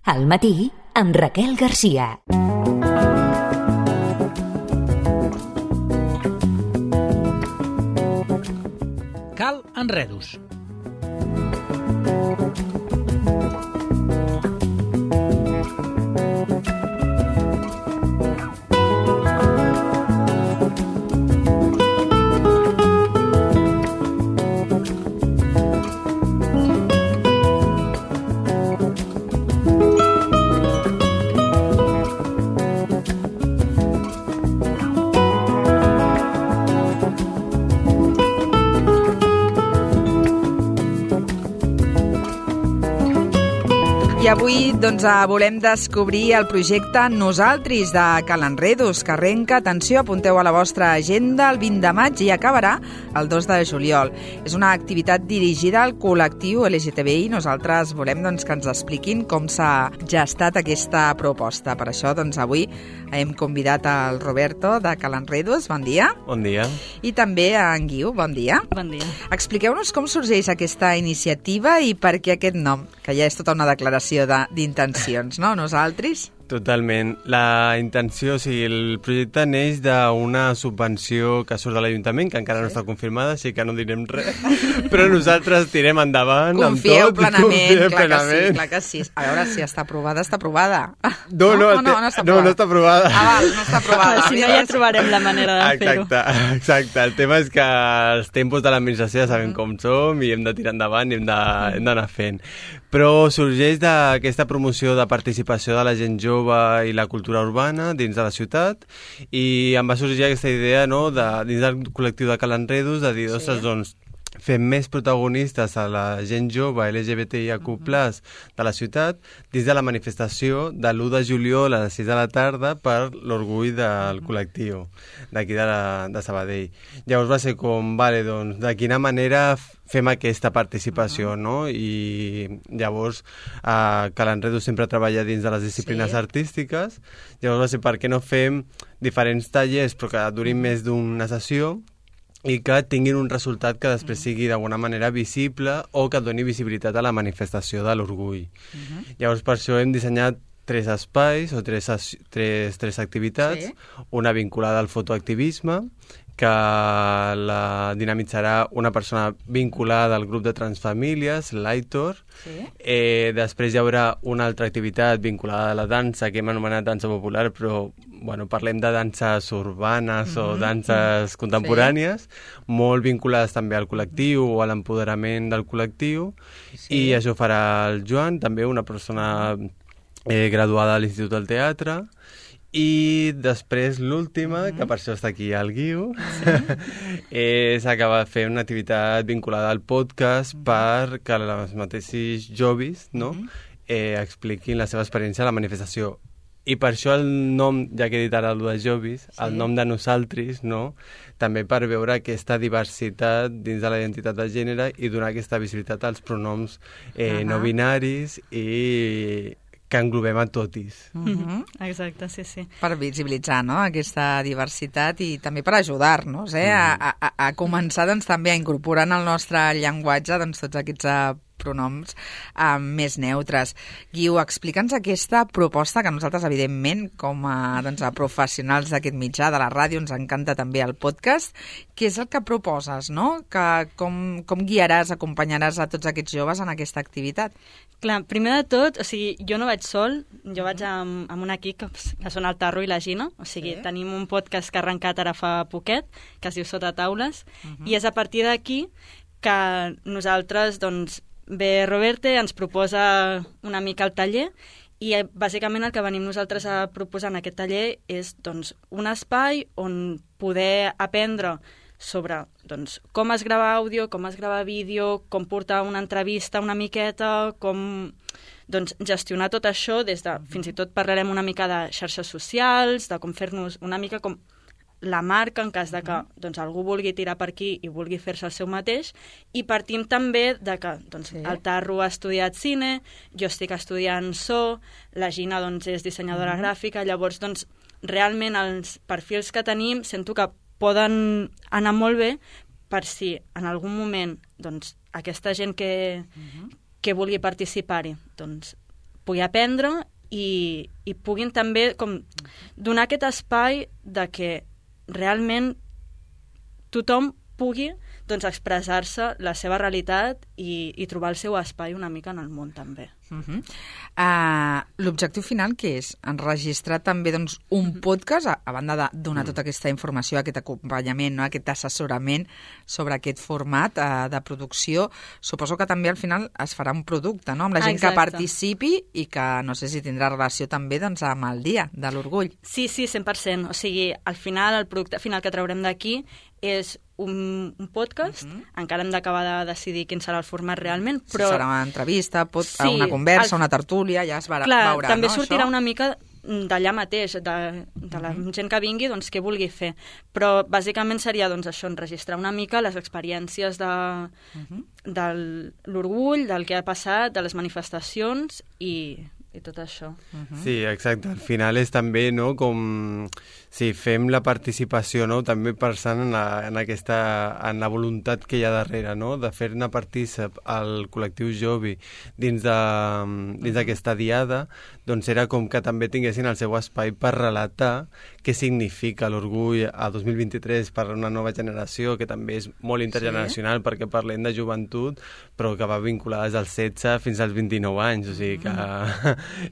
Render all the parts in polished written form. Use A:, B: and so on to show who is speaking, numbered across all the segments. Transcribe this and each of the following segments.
A: Al matí, amb Raquel Garcia.
B: Cal enredos.
C: I avui volem descobrir el projecte Nosaltres de Cal Enredos, que arrenca, atenció, apunteu a la vostra agenda, el 20 de maig i acabarà el 2 de juliol. És una activitat dirigida al col·lectiu LGTBI. Nosaltres volem que ens expliquin com s'ha gestat aquesta proposta. Per això avui hem convidat al Roberto de Cal Enredos. Bon dia.
D: Bon dia.
C: I també a en Guiu. Bon dia.
E: Bon dia.
C: Expliqueu-nos com sorgeix aquesta iniciativa i per què aquest nom, que ja és tota una declaració d'intencions, no? Nosaltres?
D: Totalment. La intenció, el projecte neix d'una subvenció que surt de l'Ajuntament, que encara no està confirmada, així que no direm res, però nosaltres tirem endavant
C: Confieu
D: amb tot.
C: Plenament, clar que sí. A veure, si està aprovada, està aprovada.
D: No està aprovada.
C: Val, no està aprovada.
E: Si no, ja trobarem la manera de fer-ho.
D: Exacte. El tema és que els tempos de l'administració ja sabem com som i hem de tirar endavant i hem d'anar fent. Però sorgeix d'aquesta promoció de participació de la gent jove i la cultura urbana dins de la ciutat, i em va sorgir aquesta idea, no, dins del col·lectiu de Cal Enredos, de dir, ostres, fem més protagonistes a la gent jove LGBTIQ+ de la ciutat dins de la manifestació de l'1 de juliol a les 6 de la tarda per l'orgull del col·lectiu d'aquí de Sabadell. Llavors va ser com, de quina manera fem aquesta participació, no? I llavors Cal Enredos sempre treballa dins de les disciplines artístiques. Llavors va ser per què no fem diferents tallers però que durin més d'una sessió i que tinguin un resultat que després sigui d'alguna manera visible o que doni visibilitat a la manifestació de l'orgull. Llavors per això hem dissenyat 3 espais o 3 activitats, una vinculada al fotoactivisme, que la dinamitzarà una persona vinculada al grup de transfamílies, l'Aitor. Després hi haurà una altra activitat vinculada a la dansa, que hem anomenat dansa popular, però parlem de danses urbanes o danses contemporànies, molt vinculades també al col·lectiu o a l'empoderament del col·lectiu, i això farà el Joan, també una persona graduada a l'Institut del Teatre. I després l'última, que per això està aquí el Guiu, és acabar de fer una activitat vinculada al podcast perquè els mateixos joves expliquin la seva experiència a la manifestació. I per això el nom, ja que he dit ara el de joves, el nom de Nosaltres, també per veure aquesta diversitat dins de la identitat de gènere i donar aquesta visibilitat als pronoms no binaris i que englobem a totis.
E: Exacte, sí.
C: Per visibilitzar aquesta diversitat i també per ajudar-nos a començar també a incorporar en el nostre llenguatge tots aquests pronoms més neutres. Guiu, explica'ns aquesta proposta que nosaltres, evidentment, com a professionals d'aquest mitjà, de la ràdio, ens encanta també el podcast. Què és el que proposes, no? Com guiaràs, acompanyaràs a tots aquests joves en aquesta activitat?
E: Clar, primer de tot, jo no vaig sol, jo vaig amb un equip que són el Tarro i la Gina, tenim un podcast que ha arrencat ara fa poquet, que es diu Sota Taules, i és a partir d'aquí que nosaltres, ve Roberte, ens proposa una mica el taller i bàsicament el que venim nosaltres a proposar en aquest taller és un espai on poder aprendre sobre com es grava àudio, com es grava vídeo, com portar una entrevista una miqueta, com gestionar tot això des de, fins i tot parlarem una mica de xarxes socials, de com fer-nos una mica com la marca en cas de que algú vulgui tirar per aquí i vulgui fer-se el seu mateix, i partim també de que el Tarro ha estudiat cine, jo estic estudiant so, la Gina és dissenyadora gràfica, llavors realment els perfils que tenim sento que poden anar molt bé per si en algun moment aquesta gent que vulgui participar-hi pugui aprendre i puguin també com donar aquest espai de que realment tothom pugui doncs, expressar-se la seva realitat i trobar el seu espai una mica en el món també.
C: L'objectiu final què és? Enregistrar també doncs, un podcast, a banda de donar tota aquesta informació, aquest acompanyament, no? Aquest assessorament sobre aquest format de producció. Suposo que també al final es farà un producte, no? Amb la gent que participi i que no sé si tindrà relació també doncs, amb el dia de l'orgull.
E: Sí, 100%. O sigui, al final, el producte final que traurem d'aquí és un podcast, encara hem d'acabar de decidir quin serà el format realment, però...
C: Si serà una entrevista, una conversa, una tertúlia, ja es veurà,
E: també
C: no,
E: sortirà
C: això?
E: Una mica d'allà mateix, de la gent que vingui, doncs, què vulgui fer. Però bàsicament seria doncs, això, enregistrar una mica les experiències de l'orgull, del que ha passat, de les manifestacions i tot això.
D: Sí, exacte. Al final és també, no?, com si fem la participació, no?, també pensant en la voluntat que hi ha darrere, no?, de fer-ne partícip al col·lectiu jove dins d'aquesta diada, doncs era com que també tinguessin el seu espai per relatar què significa l'orgull a 2023 per a una nova generació, que també és molt intergeneracional, perquè parlem de joventut, però que va vinculada des dels 16 fins als 29 anys, o sigui que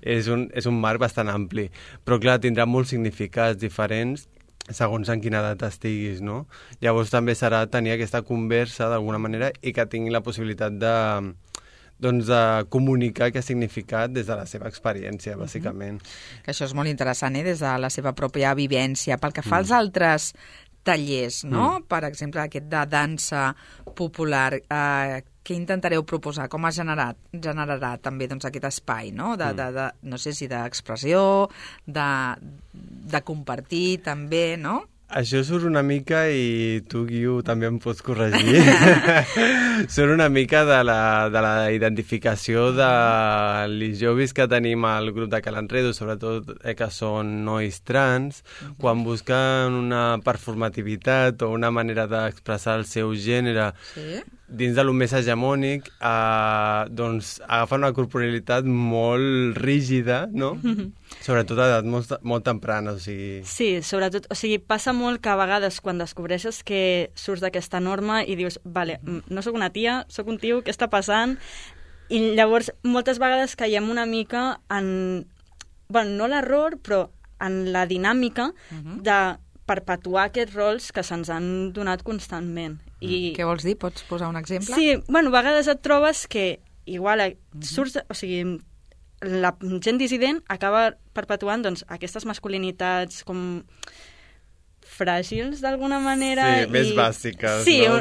D: és un marc bastant ampli. Però clar, tindrà molts significats diferents segons en quina edat estiguis, no? Llavors també serà tenir aquesta conversa d'alguna manera i que tingui la possibilitat de comunicar què ha significat des de la seva experiència, bàsicament.
C: Que això és molt interessant, des de la seva pròpia vivència. Pel que fa als altres tallers, no? Per exemple, aquest de dansa popular, què intentareu proposar? Com es generarà també doncs, aquest espai, no? No sé si d'expressió, de compartir també, no?
D: Això surt una mica, i tu, Guiu, també em pots corregir, surt una mica de la identificació dels joves que tenim al grup de Cal Enredo, sobretot que són nois trans, quan busquen una performativitat o una manera d'expressar el seu gènere dins de lo més hegemònic, doncs agafen una corporalitat molt rígida, no? Sobretot a edat molt temprana, o sigui...
E: Sí, sobretot, o sigui, passa molt que a vegades quan descobreixes que surts d'aquesta norma i dius, vale, no sóc una tia, sóc un tio, què està passant? I llavors moltes vegades caiem una mica en... Bueno, no l'error, però en la dinàmica de perpetuar aquests rols que se'ns han donat constantment.
C: Què vols dir? Pots posar un exemple?
E: Sí, bueno, a vegades et trobes que igual surts... O sigui, la gent dissident acaba perpetuant doncs, aquestes masculinitats com fràgils d'alguna manera.
D: Sí, més bàsiques,
E: sí,
D: no?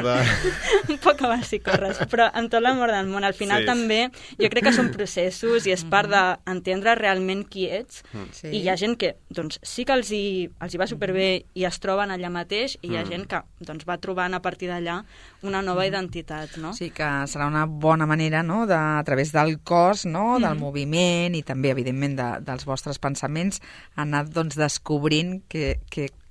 E: Un poc bàsiques, però en tot l'amor del món. Al final també jo crec que són processos i és part d'entendre realment qui ets. I hi ha gent que doncs, sí que els hi va superbé i es troben allà mateix, i hi ha gent que doncs, va trobant a partir d'allà una nova identitat. No?
C: Sí, que serà una bona manera, no?, a través del cos, no?, del moviment i també, evidentment, dels vostres pensaments, anar doncs, descobrint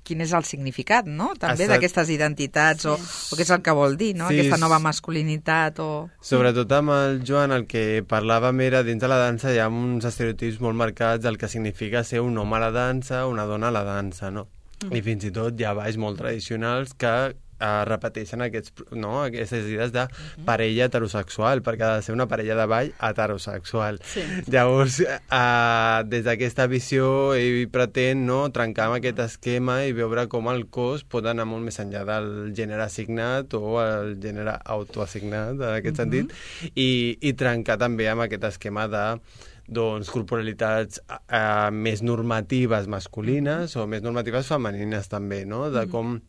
C: quin és el significat, no?, també d'aquestes identitats, o què és el que vol dir, no?, aquesta nova masculinitat.
D: Sobretot amb el Joan, el que parlàvem era, dins de la dansa hi ha uns estereotips molt marcats del que significa ser un home a la dansa, una dona a la dansa, no? I fins i tot hi ha balls molt tradicionals que repeteixen aquestes idees de parella heterosexual, perquè ha de ser una parella de ball heterosexual. Llavors, des d'aquesta visió, ell pretén trencar amb aquest esquema i veure com el cos pot anar molt més enllà del gènere assignat o el gènere autoassignat, en aquest sentit, i trencar també amb aquest esquema de corporalitats més normatives masculines o més normatives femenines també, no? De com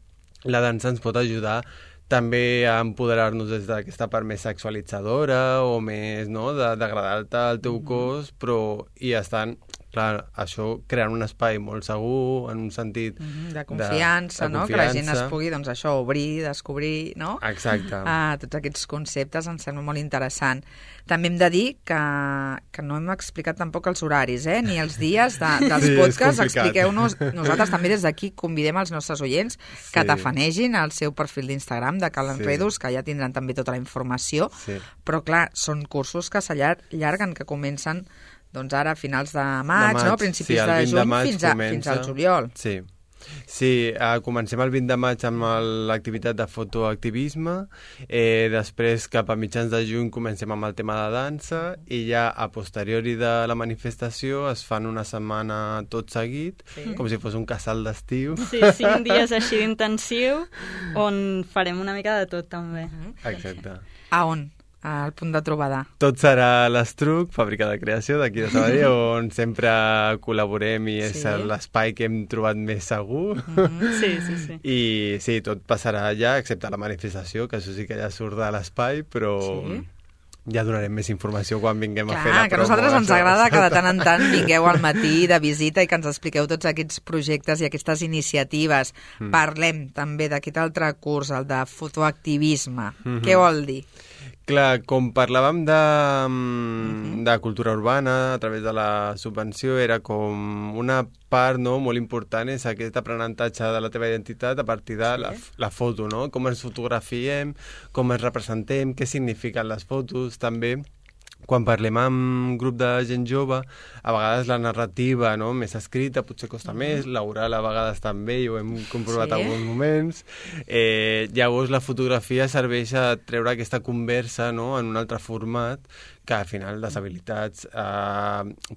D: la dansa ens pot ajudar també a empoderar-nos des d'aquesta part més sexualitzadora o més, no?, d'agradar-te al teu cos, però i estan, clar, això creant un espai molt segur, en un sentit
C: de confiança, no?, que la gent es pugui, doncs això, obrir, descobrir, no?
D: Exacte.
C: Tots aquests conceptes em sembla molt interessant. També hem de dir que no hem explicat tampoc els horaris, ni els dies dels podcasts. Expliqueu-nos. Nosaltres també des d'aquí convidem els nostres oients que tafanegin el seu perfil d'Instagram de Cal Enredos, que ja tindran també tota la informació. Però, clar, són cursos que s'allarguen, que comencen doncs ara a finals de maig, no? Principis
D: el
C: de
D: 20
C: juny,
D: maig
C: fins al juliol.
D: Sí, comencem el 20 de maig amb l'activitat de fotoactivisme, després cap a mitjans de juny comencem amb el tema de dansa i ja a posteriori de la manifestació es fan una setmana tot seguit, com si fos un casal d'estiu.
E: Sí, 5 dies així d'intensiu on farem una mica de tot també.
D: Exacte.
C: A on? Al punt de trobada.
D: Tot serà l'Estruc, fàbrica de creació d'aquí de Sabadell, on sempre col·laborem i és l'espai que hem trobat més segur.
E: Sí.
D: I sí, tot passarà allà, excepte la manifestació, que això sí que ja surt de l'espai, però ja donarem més informació quan vinguem a fer la promo.
C: Que a nosaltres ens agrada que de tant en tant vingueu al matí de visita i que ens expliqueu tots aquests projectes i aquestes iniciatives. Parlem també d'aquest altre curs, el de fotoactivisme. Què vol dir?
D: Clar, com parlàvem de cultura urbana a través de la subvenció, era com una part molt important, és aquest aprenentatge de la teva identitat a partir de la foto, no? Com ens fotografiem, com ens representem, què signifiquen les fotos, també. Quan parlem amb grup de gent jove, a vegades la narrativa més escrita potser costa més, l'oral a vegades també, i ho hem comprovat en alguns moments. Llavors la fotografia serveix a treure aquesta conversa en un altre format, que al final les habilitats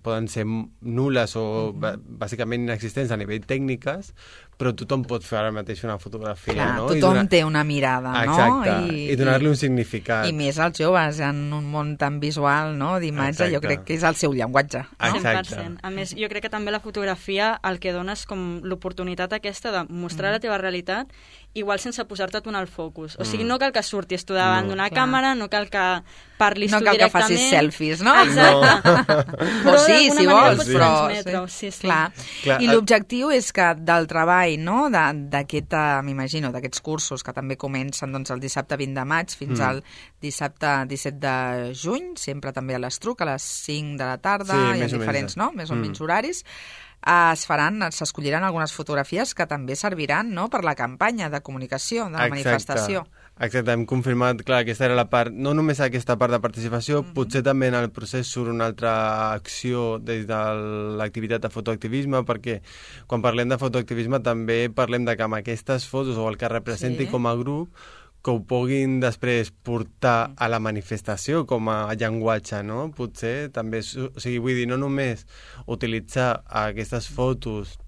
D: poden ser nul·les o bàsicament inexistents a nivell tècniques, però tothom pot fer ara mateix una fotografia.
C: Clar, tothom té una mirada, no?
D: Exacte, i donar-li un significat.
C: I més als joves, en un món tan visual, d'imatge, jo crec que és el seu llenguatge.
E: 100%. A més, jo crec que també la fotografia el que dona és com l'oportunitat aquesta de mostrar la teva realitat, igual sense posar-te tu en el focus. O sigui, no cal que surtis tu davant d'una càmera, no cal que parlis tu directament.
C: No cal que facis selfies, no?
E: Exacte.
C: O sí, si vols, però...
E: Clar.
C: I l'objectiu és que del treball, d'aquest, m'imagino, d'aquests cursos que també comencen el dissabte 20 de maig fins al dissabte 17 de juny, sempre també a l'Estruc, a les 5 de la tarda, hi ha diferents, més o menys horaris, s'escolliran algunes fotografies que també serviran per la campanya de comunicació, de la manifestació.
D: Exacte, hem confirmat, clar, aquesta era la part, no només aquesta part de participació, potser també en el procés surt una altra acció des de l'activitat de fotoactivisme, perquè quan parlem de fotoactivisme també parlem de que amb aquestes fotos o el que representi com a grup, que ho puguin després portar a la manifestació com a llenguatge, no? Potser també, o sigui, vull dir, no només utilitzar aquestes fotos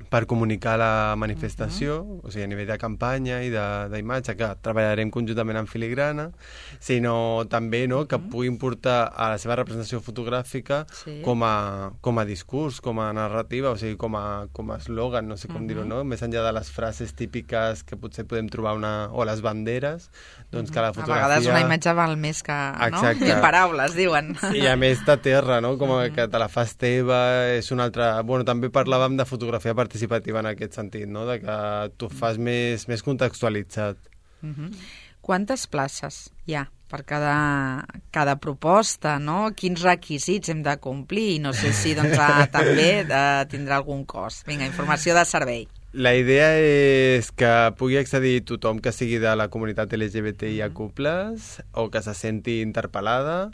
D: per comunicar la manifestació, o sigui, a nivell de campanya i d'imatge, que treballarem conjuntament amb Filigrana, sinó també que puguin portar a la seva representació fotogràfica com a discurs, com a narrativa, o sigui, com a eslògan, no sé com dir-ho, no? Més enllà de les frases típiques que potser podem trobar o les banderes, doncs que la fotografia...
C: A vegades una imatge val més que paraules, diuen.
D: I a més t'aterra, no? Com que te la fas teva, és una altra... Bueno, també parlàvem de fotografia participativa en aquest sentit, no? De que tu fas més contextualitzat.
C: Quantes places hi ha per cada proposta, no? Quins requisits hem de complir? I no sé si també tindrà algun cost. Vinga, informació de servei.
D: La idea és que pugui accedir tothom que sigui de la comunitat LGBTIQ+, o que se senti interpel·lada.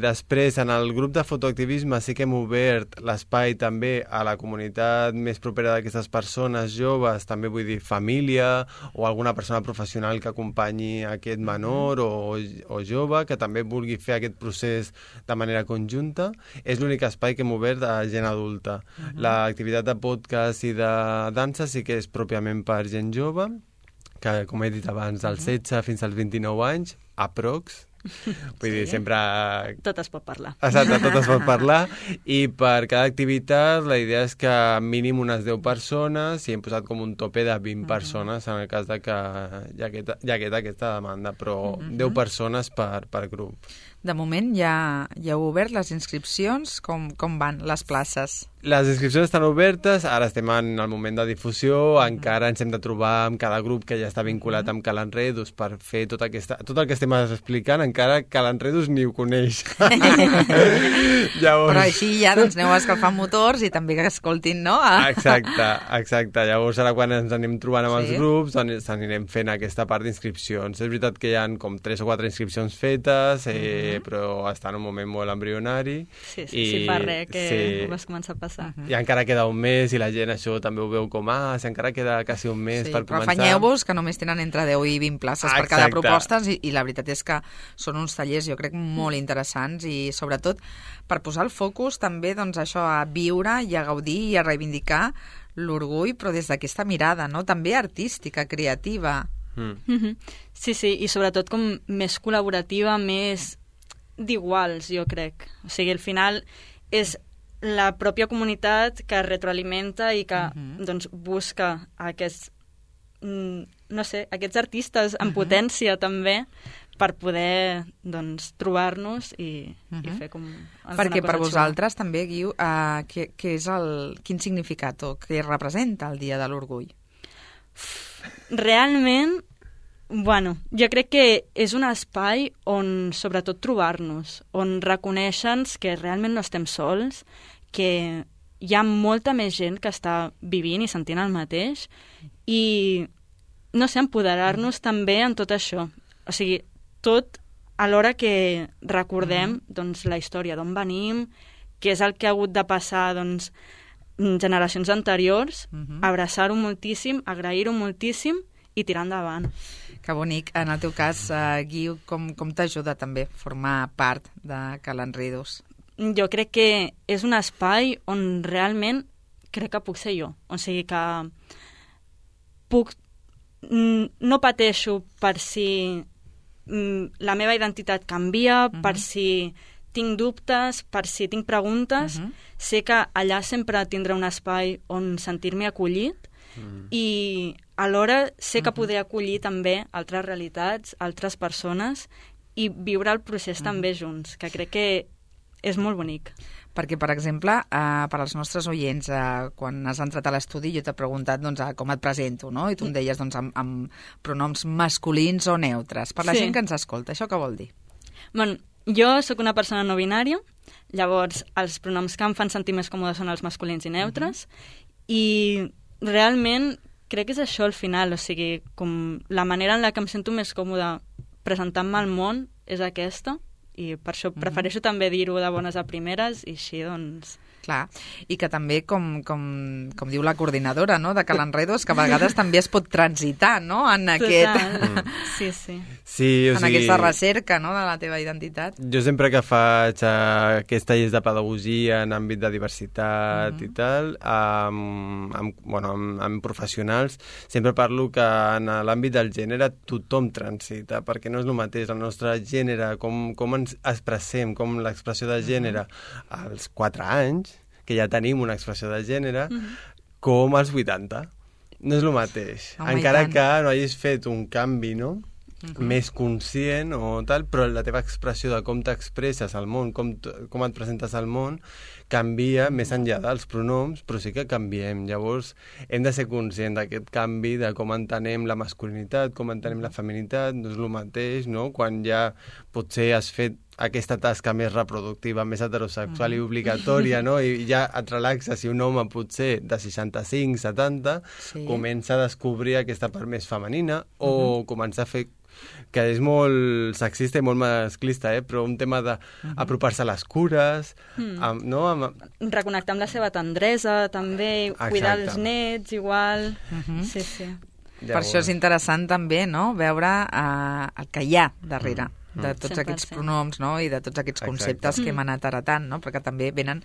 D: Després, en el grup de fotoactivisme sí que hem obert l'espai també a la comunitat més propera d'aquestes persones joves, també vull dir família o alguna persona professional que acompanyi aquest menor o jove, que també vulgui fer aquest procés de manera conjunta. És l'únic espai que hem obert a gent adulta. L'activitat de podcast i de dansa sí que és pròpiament per gent jove, que, com he dit abans, dels 16 fins als 29 anys, aprox. Vull dir, sempre...
E: Tot es pot parlar.
D: Exacte, tot es pot parlar. I per cada activitat la idea és que mínim unes 10 persones, i hem posat com un tope de 20 persones en el cas de que hi hagués aquesta demanda, però 10 persones per grup.
C: De moment ja heu obert les inscripcions, com van les places?
D: Les inscripcions estan obertes, ara estem en el moment de difusió, encara ens hem de trobar amb cada grup que ja està vinculat amb Cal Enredos per fer tot el que estem explicant, encara Cal Enredos ni ho coneix.
C: Però així ja aneu escalfant motors i també que escoltin, no?
D: Exacte. Llavors ara quan ens anem trobant amb els grups anirem fent aquesta part d'inscripcions. És veritat que hi ha com 3 o 4 inscripcions fetes, però està en un moment molt embrionari.
E: Sí, si fa res que ho vas començar a passar.
D: I encara queda un mes i la gent això també ho veu com, si encara queda quasi un mes per començar.
C: Però afanyeu-vos que només tenen entre 10 i 20 places per cada proposta i la veritat és que són uns tallers, jo crec, molt interessants i sobretot per posar el focus també doncs, això a viure i a gaudir i a reivindicar l'orgull, però des d'aquesta mirada, no? També artística, creativa.
E: Sí, i sobretot com més col·laborativa, més d'iguals, jo crec. O sigui, al final és la pròpia comunitat que retroalimenta i que doncs, busca aquests, no sé, aquests artistes en potència també per poder doncs, trobar-nos i fer com alguna
C: Perquè per
E: cosa
C: vosaltres també, Guiu, quin significat o què representa el Dia de l'Orgull?
E: Realment, jo crec que és un espai on sobretot trobar-nos, on reconèixer-nos que realment no estem sols, que hi ha molta més gent que està vivint i sentint el mateix i, no sé, empoderar-nos també en tot això. O sigui, tot alhora que recordem doncs, la història d'on venim, què és el que ha hagut de passar doncs, generacions anteriors, abraçar-ho moltíssim, agrair-ho moltíssim i tirar endavant.
C: Que bonic. En el teu cas, Guiu, com t'ajuda també formar part de Cal Enredos?
E: Jo crec que és un espai on realment crec que puc ser jo. O sigui que no pateixo per si la meva identitat canvia, per si tinc dubtes, per si tinc preguntes. Sé que allà sempre tindré un espai on sentir-me acollit i alhora sé que podré acollir també altres realitats, altres persones i viure el procés també junts, que crec que és molt bonic.
C: Perquè, per exemple, per als nostres oients, quan has entrat a l'estudi jo t'he preguntat doncs, com et presento, no? I tu em deies doncs, amb pronoms masculins o neutres. Per la gent que ens escolta, això què vol dir?
E: Jo sóc una persona no binària, llavors els pronoms que em fan sentir més còmode són els masculins i neutres, i realment crec que és això al final, o sigui, com la manera en la que em sento més còmode presentant-me al món és aquesta, i per això prefereixo també dir-ho de bones a primeres i així, doncs...
C: Clar, i que també, com diu la coordinadora, no?, de Cal Enredos, que a vegades també es pot transitar, no?, en aquest...
E: Sí,
C: en aquesta recerca, no?, de la teva identitat.
D: Jo sempre que faig aquests tallers de pedagogia en àmbit de diversitat i tal, amb professionals, sempre parlo que en l'àmbit del gènere tothom transita, perquè no és el mateix el nostre gènere, com ens expressem, com l'expressió de gènere als 4 anys, que ja tenim una expressió de gènere, com als 80. No és el mateix. Encara que no hagis fet un canvi, no?, més conscient o tal, però la teva expressió de com t'expresses al món, com et presentes al món, canvia més enllà dels pronoms, però sí que canviem. Llavors, hem de ser conscients d'aquest canvi, de com entenem la masculinitat, com entenem la feminitat, no és el mateix, no?, quan ja potser has fet aquesta tasca més reproductiva, més heterosexual i obligatòria, no? I ja et relaxes i un home potser de 65, 70, comença a descobrir aquesta part més femenina o comença a fer que és molt sexista i molt masclista, però un tema d'apropar-se a les cures, no?
E: Reconnectar amb la seva tendresa, també, cuidar els nets, igual... Sí.
C: Per això és interessant també, no?, veure el que hi ha darrere de tots 100%. Aquests pronoms, no?, i de tots aquests conceptes que hem anat heretant, no?, perquè també venen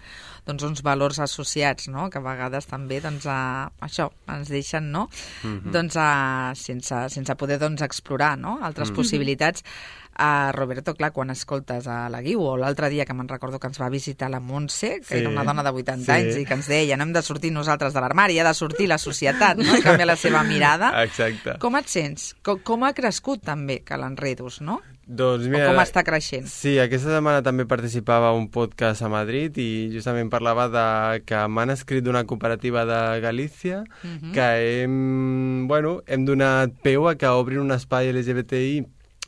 C: doncs, uns valors associats, no?, que a vegades també doncs, això ens deixen, no?, doncs, sense poder doncs, explorar, no?, altres possibilitats. Roberto, clar, quan escoltes a la Guiu, o l'altre dia que me'n recordo que ens va visitar la Montse, que era una dona de 80 anys i que ens deia, no hem de sortir nosaltres de l'armari, ha de sortir la societat, no?, i canviar la seva mirada.
D: Exacte.
C: Com et sents? Com ha crescut també Cal Enredos, no?
D: Doncs mira,
C: o com està creixent?
D: Sí, aquesta setmana també participava a un podcast a Madrid i justament parlava que m'han escrit d'una cooperativa de Galícia que hem donat peu a que obrin un espai LGBTI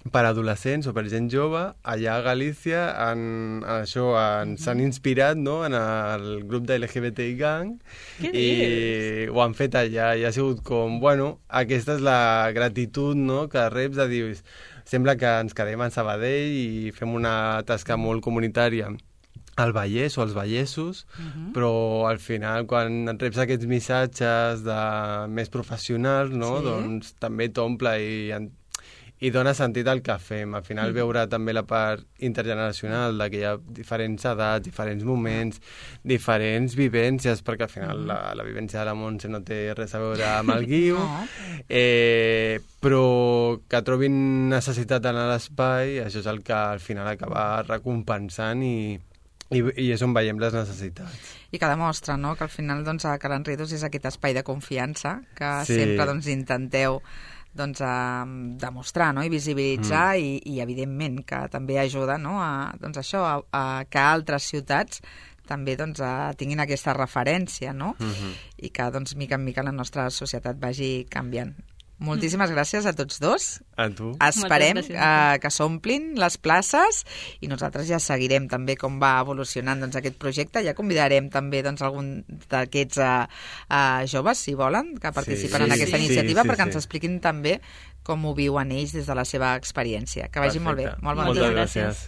D: per adolescents o per gent jove allà a Galícia. Ens han inspirat, no?, en el grup de LGBTI Gang i ho han fet allà i ha sigut com, aquesta és la gratitud, no?, que reps de dir, sembla que ens quedem a Sabadell i fem una tasca molt comunitària al Vallès o als Vallessos, però al final quan et reps aquests missatges més professionals, no? Doncs també t'omple i dona sentit al que fem. Al final veure també la part intergeneracional, que hi ha diferents edats, diferents moments, diferents vivències, perquè al final la vivència de la Montse no té res a veure amb el Guiu, però que trobin necessitat en l'espai, això és el que al final acaba recompensant i és on veiem les necessitats.
C: I que demostra, no?, que al final doncs, a Cal Enredos és aquest espai de confiança que sempre doncs, intenteu doncs, demostrar, no?, i visibilitzar i evidentment que també ajuda, no?, doncs això, a que altres ciutats també doncs, tinguin aquesta referència, no? I que doncs, mica en mica la nostra societat vagi canviant. Moltíssimes gràcies a tots dos.
D: A tu.
C: Esperem que s'omplin les places i nosaltres ja seguirem també com va evolucionant doncs, aquest projecte. Ja convidarem també doncs, algun d'aquests joves, si volen, que participen en aquesta iniciativa perquè ens expliquin també com ho viuen ells des de la seva experiència. Que vagi molt bé. Moltes gràcies.